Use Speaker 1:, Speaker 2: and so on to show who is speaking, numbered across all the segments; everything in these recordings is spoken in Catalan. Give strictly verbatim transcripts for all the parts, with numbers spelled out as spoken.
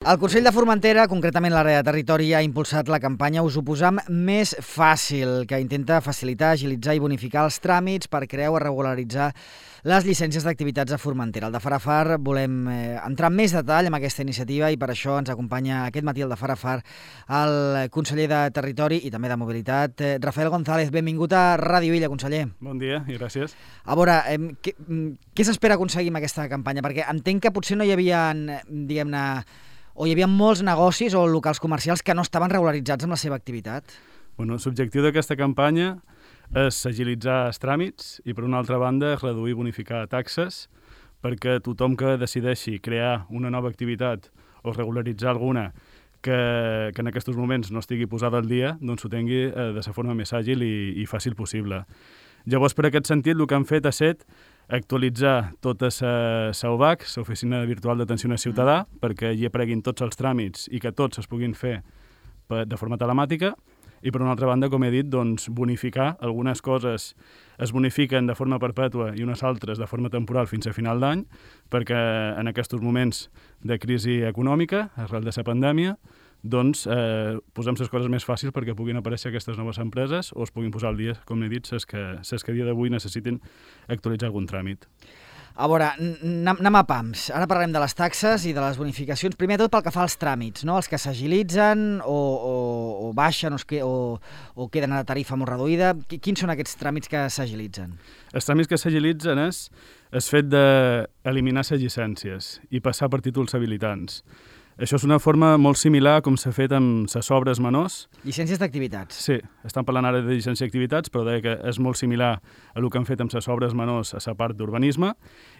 Speaker 1: El Consell de Formentera, concretament l'àrea de territori, ha impulsat la campanya Us ho posam més fàcil, que intenta facilitar, agilitzar i bonificar els tràmits per crear o regularitzar les llicències d'activitats a Formentera. El de Farafar volem eh, entrar en més detall amb aquesta iniciativa i per això ens acompanya aquest matí el de Farafar el conseller de Territori i també de Mobilitat, eh, Rafael González. Benvingut a Ràdio Illa, conseller.
Speaker 2: Bon dia i gràcies.
Speaker 1: A veure, eh, què, què s'espera aconseguir amb aquesta campanya? Perquè entenc que potser no hi havia, diguem-ne, o hi havia molts negocis o locals comercials que no estaven regularitzats amb la seva activitat?
Speaker 2: Bueno, l'objectiu d'aquesta campanya és agilitzar els tràmits i, per una altra banda, reduir i bonificar taxes perquè tothom que decideixi crear una nova activitat o regularitzar alguna que, que en aquests moments no estigui posada al dia, doncs ho tingui eh, de la forma més àgil i, i fàcil possible. Llavors, per aquest sentit, el que han fet ha estat actualitzar tota la O V A C, l'Oficina Virtual d'Atenció al Ciutadà, mm. perquè hi apareguin tots els tràmits i que tots es puguin fer de forma telemàtica. I, per una altra banda, com he dit, doncs, bonificar. Algunes coses es bonifiquen de forma perpètua i unes altres de forma temporal fins a final d'any, perquè en aquests moments de crisi econòmica, arrel de la pandèmia, doncs eh, posem les coses més fàcils perquè puguin aparèixer aquestes noves empreses o es puguin posar al dia, com he dit, les que, les que a dia d'avui necessitin actualitzar algun tràmit.
Speaker 1: A veure, anem a pams. Ara parlarem de les taxes i de les bonificacions. Primer tot pel que fa als tràmits, no? Els que s'agilitzen o, o, o baixen o, es que, o, o queden a tarifa molt reduïda. Quins són aquests tràmits que s'agilitzen?
Speaker 2: Els tràmits que s'agilitzen és el fet d'eliminar les llicències i passar per títols habilitants. Això és una forma molt similar com s'ha fet amb les obres menors.
Speaker 1: Llicències d'activitats.
Speaker 2: Sí, estan parlant ara de llicència d'activitats, però deia que és molt similar a el que han fet amb les obres menors a la part d'urbanisme.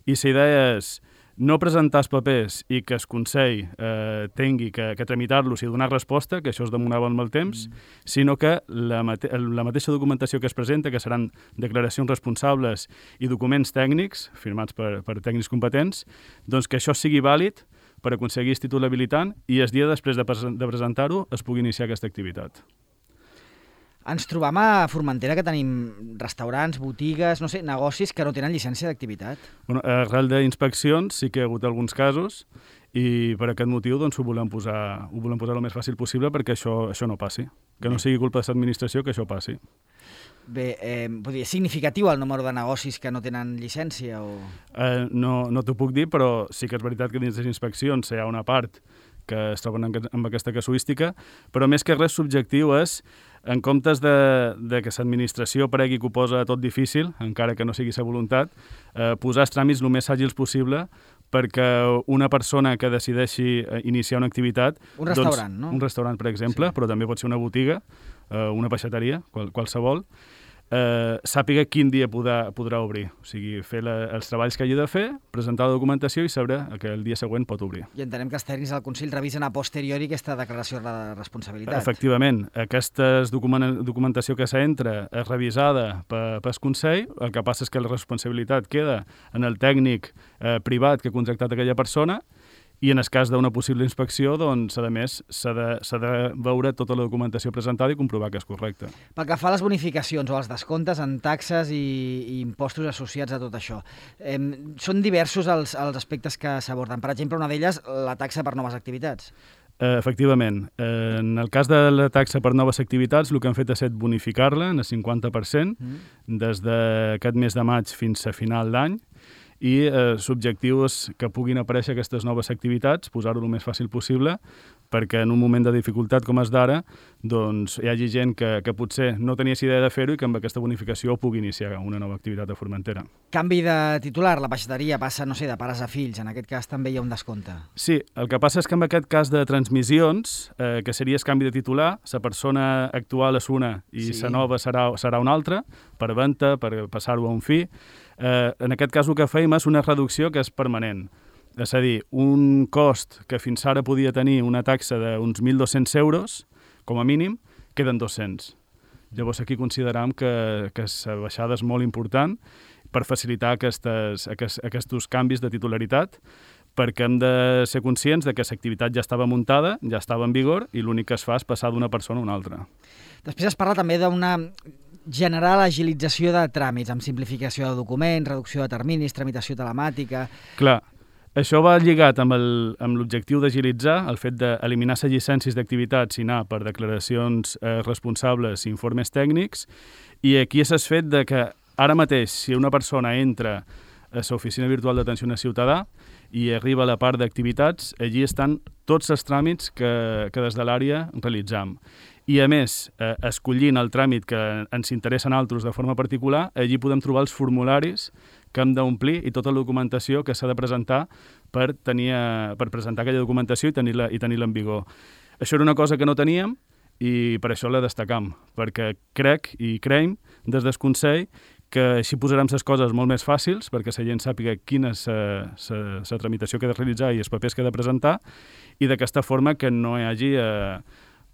Speaker 2: I la idea és no presentar els papers i que el Consell eh, tingui que, que tramitar-los i donar resposta, que això es demonava amb el temps, mm. sinó que la, mate la mateixa documentació que es presenta, que seran declaracions responsables i documents tècnics, firmats per, per tècnics competents, doncs que això sigui vàlid per aconseguir el títol habilitant i el dia després de, pre de presentar-ho es pugui iniciar aquesta activitat.
Speaker 1: Ens trobam a Formentera que tenim restaurants, botigues, no sé, negocis que no tenen llicència d'activitat.
Speaker 2: Bueno, arrel d'inspeccions sí que hi ha hagut alguns casos i per aquest motiu doncs, ho volem posar, ho volem posar el més fàcil possible perquè això, això no passi. Que no sigui culpa de l'administració que això passi.
Speaker 1: Bé, eh, és significatiu el número de negocis que no tenen llicència? O...
Speaker 2: Eh, no no t'ho puc dir, però sí que és veritat que dins les inspeccions hi ha una part que es troben amb aquesta casuística, però més que res l'objectiu és, en comptes de, de que l'administració pregui que ho posa tot difícil, encara que no sigui sa voluntat, eh, posar els tràmits el més àgils possible perquè una persona que decideixi iniciar una activitat...
Speaker 1: Un restaurant,
Speaker 2: doncs,
Speaker 1: no?
Speaker 2: Un restaurant, per exemple, sí. Però també pot ser una botiga, eh, una peixateria, qual, qualsevol, eh, sàpiga quin dia podrà, podrà obrir. O sigui, fer la, els treballs que hagi de fer, presentar la documentació i saber que el dia següent pot obrir.
Speaker 1: I entenem que els tècnics del Consell revisen a posteriori aquesta declaració de responsabilitat.
Speaker 2: Efectivament. Aquesta documentació que s'entra és revisada pel Consell, el que passa és que la responsabilitat queda en el tècnic eh, privat que ha contractat aquella persona i en el cas d'una possible inspecció, doncs, a més, s'ha de, de veure tota la documentació presentada i comprovar que és correcta.
Speaker 1: Pel que fa a les bonificacions o als descomptes en taxes i, i impostos associats a tot això, eh, són diversos els, els aspectes que s'aborden. Per exemple, una d'elles, la taxa per noves activitats.
Speaker 2: Eh, efectivament. Eh, en el cas de la taxa per noves activitats, el que han fet ha estat bonificar-la en el cinquanta per cent mm. des d'aquest mes de maig fins a final d'any, i eh, l'objectiu és que puguin aparèixer aquestes noves activitats, posar-ho el més fàcil possible, perquè en un moment de dificultat com és d'ara, doncs hi hagi gent que, que potser no tenia idea de fer-ho i que amb aquesta bonificació pugui iniciar una nova activitat a Formentera.
Speaker 1: Canvi de titular, la peixateria passa, no sé, de pares a fills, en aquest cas també hi ha un descompte.
Speaker 2: Sí, el que passa és que en aquest cas de transmissions, eh, que seria el canvi de titular, la persona actual és una i la sí. nova serà, serà una altra, per venda, per passar-ho a un fi. Eh, en aquest cas el que feim és una reducció que és permanent. És a dir, un cost que fins ara podia tenir una taxa d'uns mil dos-cents euros, com a mínim, queden dos-cents. Llavors aquí consideram que, que la baixada és molt important per facilitar aquestes, aquests, aquests canvis de titularitat, perquè hem de ser conscients de que l'activitat ja estava muntada, ja estava en vigor, i l'únic que es fa és passar d'una persona a una altra.
Speaker 1: Després es parla també d'una generar l'agilització de tràmits, amb simplificació de documents, reducció de terminis, tramitació telemàtica...
Speaker 2: Clar, Això va lligat amb el- amb l'objectiu d'agilitzar el fet d'eliminar les llicències d'activitats i anar per declaracions eh, responsables i informes tècnics, i aquí s'ha fet de que ara mateix, si una persona entra a l'oficina virtual d'atenció al ciutadà i arriba a la part d'activitats, allí estan tots els tràmits que, que des de l'àrea realitzam. I a més, eh, escollint el tràmit que ens interessa a altres de forma particular, allí podem trobar els formularis que hem d'omplir i tota la documentació que s'ha de presentar per, tenir, eh, per presentar aquella documentació i tenir-la i tenir-la en vigor. Això era una cosa que no teníem i per això la destacam, perquè crec i creiem des del Consell que així posarem les coses molt més fàcils perquè la gent sàpiga quina és la tramitació que ha de realitzar i els papers que ha de presentar, i d'aquesta forma que no hi hagi eh,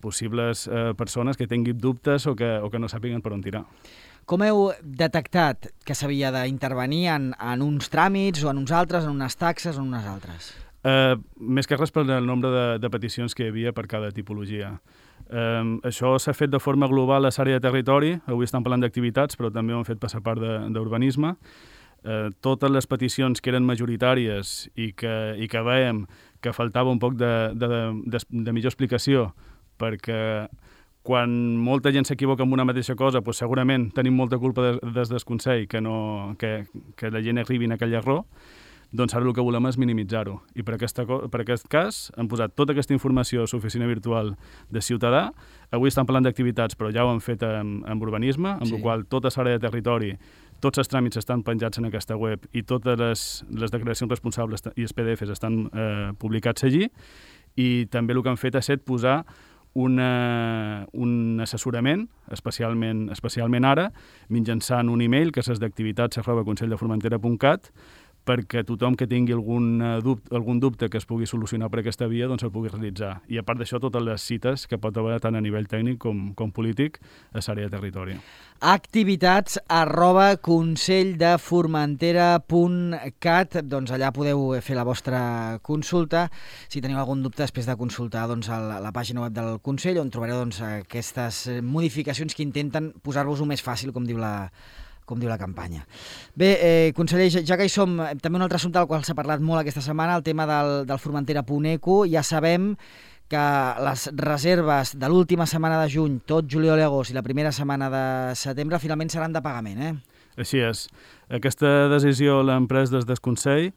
Speaker 2: possibles eh, persones que tinguin dubtes o que, o que no sàpiguen per on tirar.
Speaker 1: Com heu detectat que s'havia d'intervenir en, en uns tràmits o en uns altres, en unes taxes o en unes altres?
Speaker 2: Uh, més que res per el nombre de, de peticions que hi havia per cada tipologia. Um, això s'ha fet de forma global a l'àrea de territori, avui estan parlant d'activitats, però també ho han fet per la part d'urbanisme. Uh, totes les peticions que eren majoritàries i que, i que veiem que faltava un poc de, de, de, de millor explicació, perquè quan molta gent s'equivoca amb una mateixa cosa, doncs segurament tenim molta culpa des, des del Consell que, no, que, que la gent arribi en aquell error, doncs ara el que volem és minimitzar-ho. I per, aquesta, per aquest cas hem posat tota aquesta informació a l'oficina virtual de Ciutadà. Avui estan parlant d'activitats, però ja ho han fet amb, amb urbanisme, amb sí. la qual tota l'àrea de territori, tots els tràmits estan penjats en aquesta web i totes les, les declaracions responsables i els P D Fs estan eh, publicats allí. I també el que han fet ha estat posar Una, un assessorament, especialment, especialment ara, mitjançant un e-mail que és d'activitats arroba conselldeformentera punt cat, perquè tothom que tingui algun dubte, algun dubte que es pugui solucionar per aquesta via doncs el pugui realitzar. I a part d'això, totes les cites que pot haver tant a nivell tècnic com, com polític a l'àrea de territori.
Speaker 1: Activitats arroba conselldeformentera punt cat, doncs allà podeu fer la vostra consulta. Si teniu algun dubte, després de consultar doncs, la, la pàgina web del Consell, on trobareu doncs, aquestes modificacions que intenten posar-vos-ho més fàcil, com diu la com diu la campanya. Bé, eh, conseller, ja que hi som, també un altre assumpte del qual s'ha parlat molt aquesta setmana, el tema del, del Formentera punt eco. Ja sabem que les reserves de l'última setmana de juny, tot juliol i agost i la primera setmana de setembre, finalment seran de pagament, eh?
Speaker 2: Així és. Aquesta decisió l'hem pres des del Consell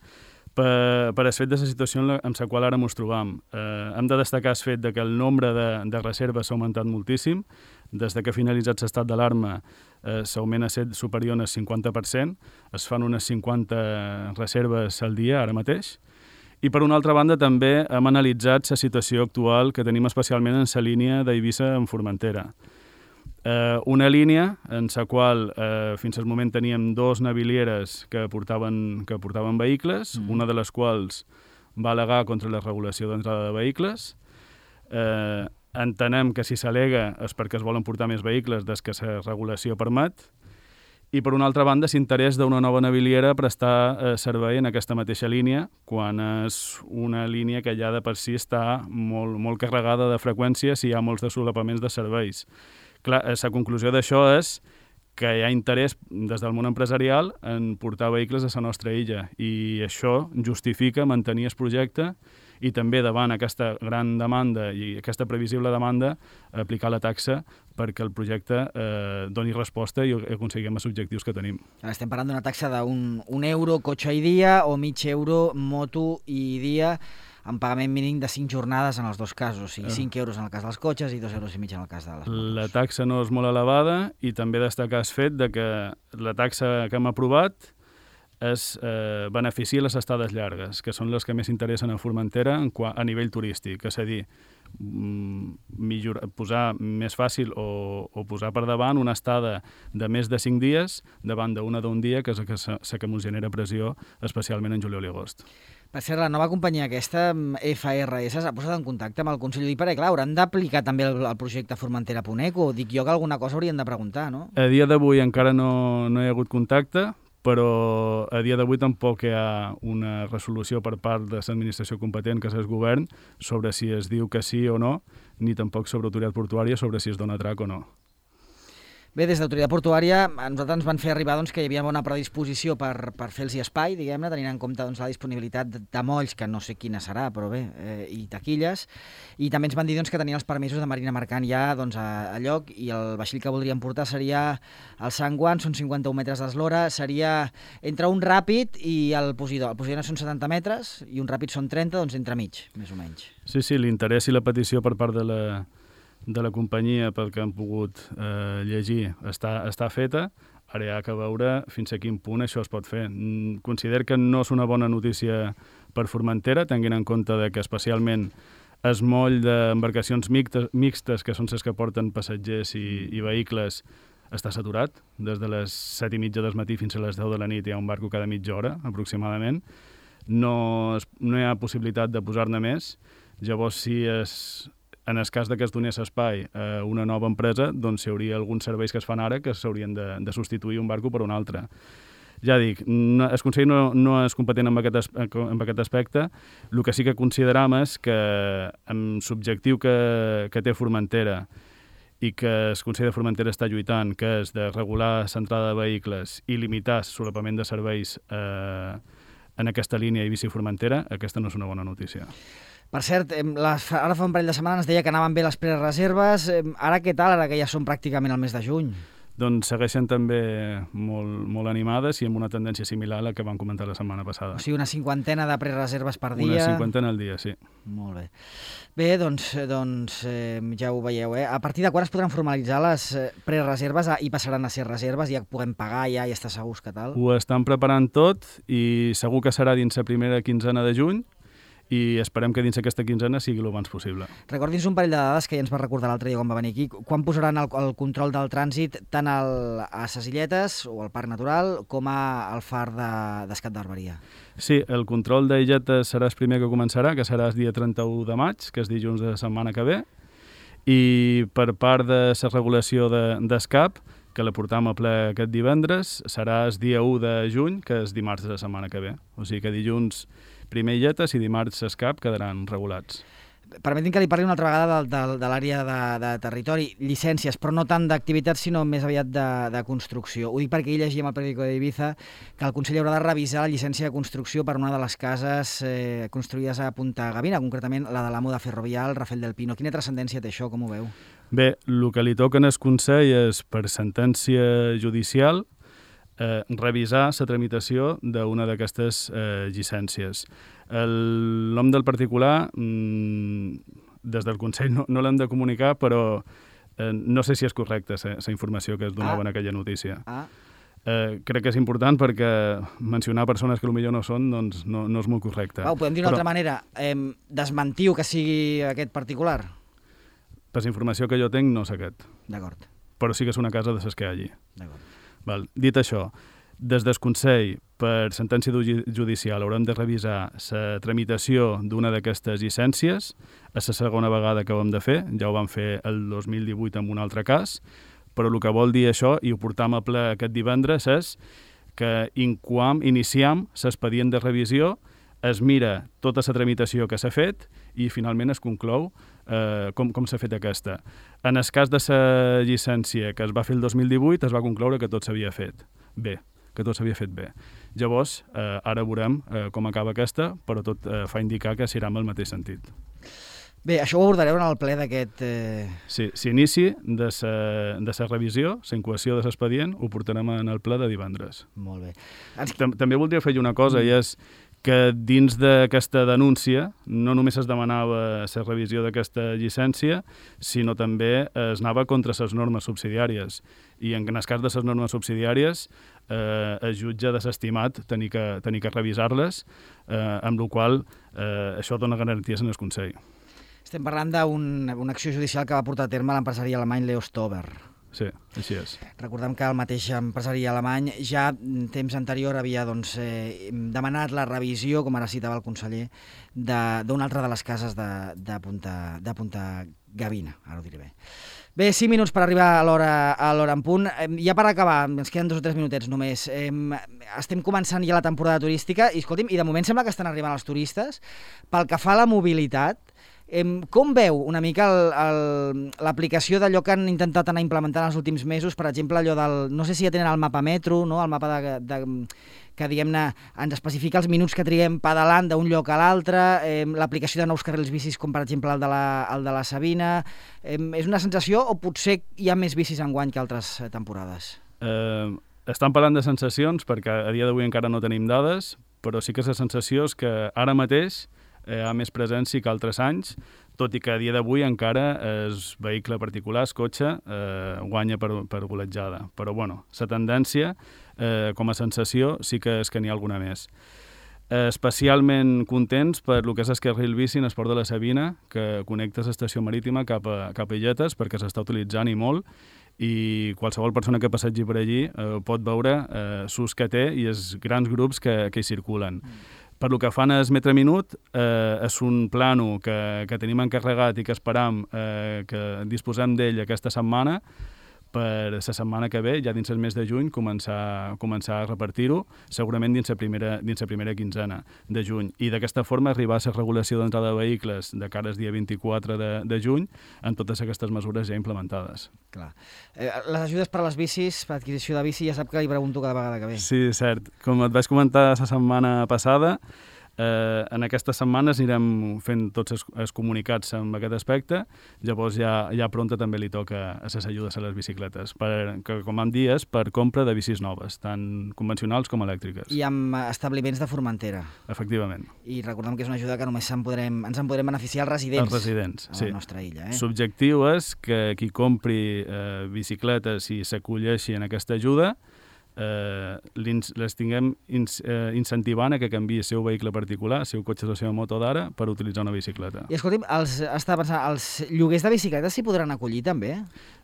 Speaker 2: per, per el fet de la situació en la, en la qual ara ens trobam. Eh, hem de destacar el fet de que el nombre de, de reserves s'ha augmentat moltíssim. Des de que ha finalitzat l'estat d'alarma, eh, l'augment ha estat superior al cinquanta per cent. Es fan unes cinquanta reserves al dia, ara mateix. I, per una altra banda, també hem analitzat la situació actual que tenim especialment en la línia d'Eivissa en Formentera. Eh, una línia en la qual eh, fins al moment teníem dos navilieres que portaven, que portaven vehicles, mm. una de les quals va al·legar contra la regulació d'entrada de vehicles. Eh, entenem que si s'al·lega és perquè es volen portar més vehicles des que la regulació permet, i per una altra banda s'interès d'una nova naviliera prestar eh, servei en aquesta mateixa línia, quan és una línia que ja de per si està molt, molt carregada de freqüències i hi ha molts de solapaments de serveis. Clar, la conclusió d'això és que hi ha interès des del món empresarial en portar vehicles a la nostra illa, i això justifica mantenir el projecte i també davant aquesta gran demanda i aquesta previsible demanda aplicar la taxa perquè el projecte eh, doni resposta i aconseguim els objectius que tenim.
Speaker 1: Ara estem parlant d'una taxa d'un un euro cotxe i dia o mig euro moto i dia, amb pagament mínim de cinc jornades en els dos casos, o sigui, cinc euros en el cas dels cotxes i dos euros i mig en el cas de les motos.
Speaker 2: La taxa no és molt elevada, i també destacar el fet de que la taxa que hem aprovat es eh, beneficia les estades llargues, que són les que més interessen a Formentera a nivell turístic, és a dir, millor, posar més fàcil o, o posar per davant una estada de més de cinc dies davant d'una d'un dia, que és la que, que ens genera pressió, especialment en juliol i agost.
Speaker 1: Per cert, la nova companyia aquesta, F R S, s'ha posat en contacte amb el Consell, i perquè, clar, hauran d'aplicar també el, el projecte Formentera punt eco. Dic jo que alguna cosa haurien de preguntar, no?
Speaker 2: A dia d'avui encara no, no hi ha hagut contacte, però a dia d'avui tampoc hi ha una resolució per part de l'administració competent, que és el govern, sobre si es diu que sí o no, ni tampoc sobre autoritat portuària sobre si es dona trac o no.
Speaker 1: Bé, des d'Autoritat Portuària a nosaltres ens van fer arribar doncs, que hi havia bona predisposició per, per fer-los espai, diguem-ne, tenint en compte doncs, la disponibilitat de, de molls, que no sé quina serà, però bé, eh, i taquilles, i també ens van dir doncs, que tenien els permisos de marina mercant ja doncs, a, a lloc, i el vaixell que voldrien portar seria el Sant Juan, són cinquanta-un metres d'eslora, seria entre un ràpid i el Posidó. El Posidó són setanta metres i un ràpid són trenta, doncs entremig, més o menys.
Speaker 2: Sí, sí, l'interès i la petició per part de la de la companyia, pel que han pogut eh, llegir, està, està feta. Ara hi ha que veure fins a quin punt això es pot fer. Considero que no és una bona notícia per Formentera, tenint en compte de que especialment el moll d'embarcacions mixtes, mixtes, que són les que porten passatgers i, i vehicles, està saturat. Des de les set i mitja del matí fins a les deu de la nit hi ha un barco cada mitja hora, aproximadament. No, es, no hi ha possibilitat de posar-ne més. Llavors, si es... en el cas que es donés espai a una nova empresa, doncs hi hauria alguns serveis que es fan ara que s'haurien de, de substituir un barco per un altre. Ja dic, no, el Consell no, no és competent en aquest, en aquest aspecte. El que sí que consideram és que amb l'objectiu que, que té Formentera i que el Consell de Formentera està lluitant, que és de regular l'entrada de vehicles i limitar el solapament de serveis eh, en aquesta línia Eivissa-Formentera, aquesta no és una bona notícia.
Speaker 1: Per cert, les, ara fa un parell de setmanes deia que anaven bé les prereserves. Ara què tal, ara que ja som pràcticament al mes de juny?
Speaker 2: Doncs segueixen també molt, molt animades i amb una tendència similar a la que vam comentar la setmana passada.
Speaker 1: O sigui, una cinquantena de prereserves per dia.
Speaker 2: Una cinquantena al dia, sí.
Speaker 1: Molt bé. Bé, doncs, doncs eh, ja ho veieu, eh? A partir de quan es podran formalitzar les prereserves i passaran a ser reserves, ja puguem pagar, ja, ja està segurs que tal?
Speaker 2: Ho estan preparant tot i segur que serà dins la primera quinzena de juny, i esperem que dins aquesta quinzena sigui el abans possible.
Speaker 1: Recordi'ns un parell de dades que ja ens va recordar l'altre dia quan va venir aquí. Quan posaran el, el control del trànsit tant al, a ses Illetes o al Parc Natural com a, al far de, d'Escat d'Arberia?
Speaker 2: Sí, el control d'Illetes serà el primer que començarà, que serà el dia trenta-u de maig, que és dilluns de la setmana que ve, i per part de la regulació de, d'Escap, que la portam a ple aquest divendres, serà el dia u de juny, que és dimarts de la setmana que ve. O sigui que dilluns primer Illetes i dimarts Escap quedaran regulats.
Speaker 1: Permetin que li parli una altra vegada de, de, de l'àrea de, de territori, llicències, però no tant d'activitats, sinó més aviat de, de construcció. Ho dic perquè ahir llegíem al periòdico d'Eivissa que el Consell haurà de revisar la llicència de construcció per una de les cases eh, construïdes a Punta Gavina, concretament la de l'amo de Ferrovial, Rafael del Pino. Quina transcendència té això, com ho veu?
Speaker 2: Bé, el que li toca en el Consell és, per sentència judicial, Eh, revisar la tramitació d'una d'aquestes eh, llicències. El nom del particular, mmm, des del Consell no, no l'hem de comunicar, però eh, no sé si és correcta la informació que es donava ah. en aquella notícia. Ah. Eh, crec que és important perquè mencionar persones que potser no són doncs no, no és molt correcte.
Speaker 1: Ho podem dir d'una però... altra manera. Eh, desmentiu que sigui aquest particular?
Speaker 2: Per la informació que jo tinc, no és aquest.
Speaker 1: D'acord.
Speaker 2: Però sí que és una casa de ses que hi ha allí.
Speaker 1: D'acord.
Speaker 2: Val. Dit això, des del Consell, per sentència judicial, haurem de revisar la tramitació d'una d'aquestes llicències. És la segona vegada que ho hem de fer, ja ho vam fer el dos mil divuit amb un altre cas, però el que vol dir això, i ho portam a ple aquest divendres, és que incoam, iniciam l'expedient de revisió, es mira tota la tramitació que s'ha fet i finalment es conclou eh, com, com s'ha fet aquesta. En el cas de la llicència que es va fer el dos mil divuit es va concloure que tot s'havia fet bé, que tot s'havia fet bé. Llavors, eh, ara veurem eh, com acaba aquesta, però tot eh, fa indicar que s'irà en el mateix sentit.
Speaker 1: Bé, això ho abordareu en el ple d'aquest... Eh...
Speaker 2: Sí, s'inici de la revisió, la incoació de l'expedient, ho portarem en el ple de divendres.
Speaker 1: Molt bé.
Speaker 2: Ens... També voldria fer una cosa, mm. i és que dins d'aquesta denúncia no només es demanava la revisió d'aquesta llicència, sinó també es anava contra les normes subsidiàries. I en el cas de les normes subsidiàries, eh, el jutge ha desestimat tenir que, tenir que revisar-les, eh, amb la qual eh, això dona garanties en el Consell.
Speaker 1: Estem parlant d'una un, acció judicial que va portar a terme l'empresari alemany Leo Stover.
Speaker 2: Sí, així és.
Speaker 1: Recordem que el mateix empresari alemany ja en temps anterior havia doncs, eh, demanat la revisió, com ara citava el conseller, d'una altra de les cases de, de, Punta, de Punta Gavina, ara ho diré bé. Bé, cinc minuts per arribar a l'hora a l'hora en punt. Ja per acabar, ens queden dos o tres minutets només. Eh, estem començant ja la temporada turística i, escolti'm, i de moment sembla que estan arribant els turistes. Pel que fa a la mobilitat, Com veu una mica l'aplicació d'allò que han intentat anar implementant els últims mesos, per exemple, allò del, no sé si ja tenen el mapa metro, no? El mapa de, de, que diguem-ne ens especifica els minuts que triguem pedalant d'un lloc a l'altre, eh, l'aplicació de nous carrils bicis com per exemple el de la, el de la Sabina, eh, és una sensació o potser hi ha més bicis enguany que altres temporades?
Speaker 2: Eh, estan parlant de sensacions perquè a dia d'avui encara no tenim dades, però sí que la sensació és que ara mateix hi ha més presència que altres anys, tot i que a dia d'avui encara el vehicle particular, el cotxe, eh, guanya per, per golejada. Però, bueno, la tendència, eh, com a sensació, sí que és que n'hi ha alguna més. Eh, especialment contents per el que és el carril bici en Esport de la Sabina, que connecta l'estació marítima cap a, cap a Illetes, perquè s'està utilitzant i molt, i qualsevol persona que passegi per allí eh, pot veure eh, l'ús que té i els grans grups que, que hi circulen. Mm. Per lo que fan el metre minut, eh, és un plano que, que tenim encarregat i que esperam eh, que disposem d'ell aquesta setmana per la setmana que ve, ja dins el mes de juny, començar, començar a repartir-ho, segurament dins la primera, dins la primera quinzena de juny. I d'aquesta forma arribar a la regulació d'entrada de vehicles de cara al dia vint-i-quatre de, de juny amb totes aquestes mesures ja implementades.
Speaker 1: Clar. Eh, les ajudes per a les bicis, per adquisició de bici, ja sap que li pregunto cada vegada que ve.
Speaker 2: Sí, cert. Com et vaig comentar la setmana passada, Eh, en aquestes setmanes anirem fent tots els, els comunicats amb aquest aspecte, llavors ja, ja pronta també li toca a les ajudes a les bicicletes, per, que com vam dir és per compra de bicis noves, tant convencionals com elèctriques.
Speaker 1: I amb establiments de Formentera.
Speaker 2: Efectivament.
Speaker 1: I recordem que és una ajuda que només en podrem, ens en podrem beneficiar els residents,
Speaker 2: els residents
Speaker 1: a la
Speaker 2: sí.
Speaker 1: nostra illa. Eh?
Speaker 2: L'objectiu és que qui compri eh, bicicletes i s'acolleixi en aquesta ajuda Eh, les tinguem ins, eh, incentivant a que canviï el seu vehicle particular, el seu cotxe o la seva moto d'ara, per utilitzar una bicicleta.
Speaker 1: I escolti'm, els, estava pensant, els lloguers de bicicletes s'hi podran acollir també?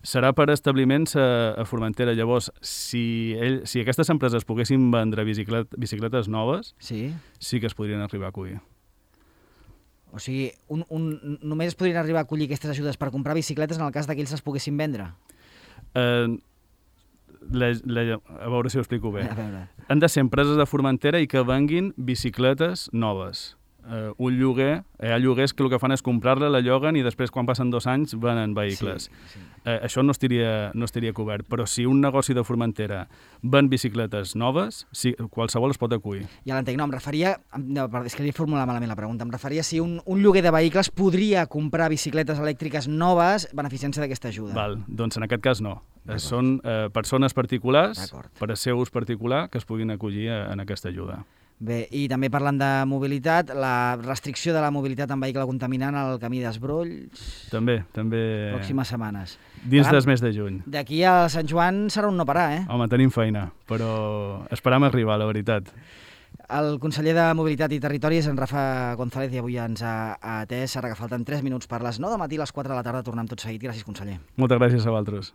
Speaker 2: Serà per establiments a, a Formentera. Llavors, si, ell, si aquestes empreses poguessin vendre biciclet, bicicletes noves, sí. sí que es podrien arribar a acollir.
Speaker 1: O sigui, un, un, només es podrien arribar a acollir aquestes ajudes per comprar bicicletes en el cas que ells les poguessin vendre?
Speaker 2: Eh... La, la, a veure si ho explico bé. Han de ser empreses de Formentera i que venguin bicicletes noves. Uh, un lloguer, hi ha lloguers que el que fan és comprar-la, la lloguen i després quan passen dos anys venen vehicles. Sí, sí. Uh, això no estaria, no estaria cobert, però si un negoci de Formentera ven bicicletes noves, sí, qualsevol es pot acollir.
Speaker 1: Ja l'entenc, no, em referia, no, és que li he formulat malament la pregunta, em referia si un, un lloguer de vehicles podria comprar bicicletes elèctriques noves beneficiant-se d'aquesta ajuda.
Speaker 2: Val, doncs en aquest cas no. Són eh, persones particulars, per a seu ús particular, que es puguin acollir a, en aquesta ajuda.
Speaker 1: Bé, i també parlant de mobilitat, la restricció de la mobilitat en vehicle contaminant al camí d'Esbrolls...
Speaker 2: També, també...
Speaker 1: Pròximes setmanes.
Speaker 2: Dins del mes de juny.
Speaker 1: D'aquí a Sant Joan serà un no parar, eh?
Speaker 2: Home, tenim feina, però esperam arribar, la veritat.
Speaker 1: El conseller de Mobilitat i Territori és en Rafa González i avui ens ha atès. Ara que falten tres minuts per les nou del matí, a les quatre de la tarda tornem tot seguit. Gràcies, conseller.
Speaker 2: Moltes gràcies a vosaltres.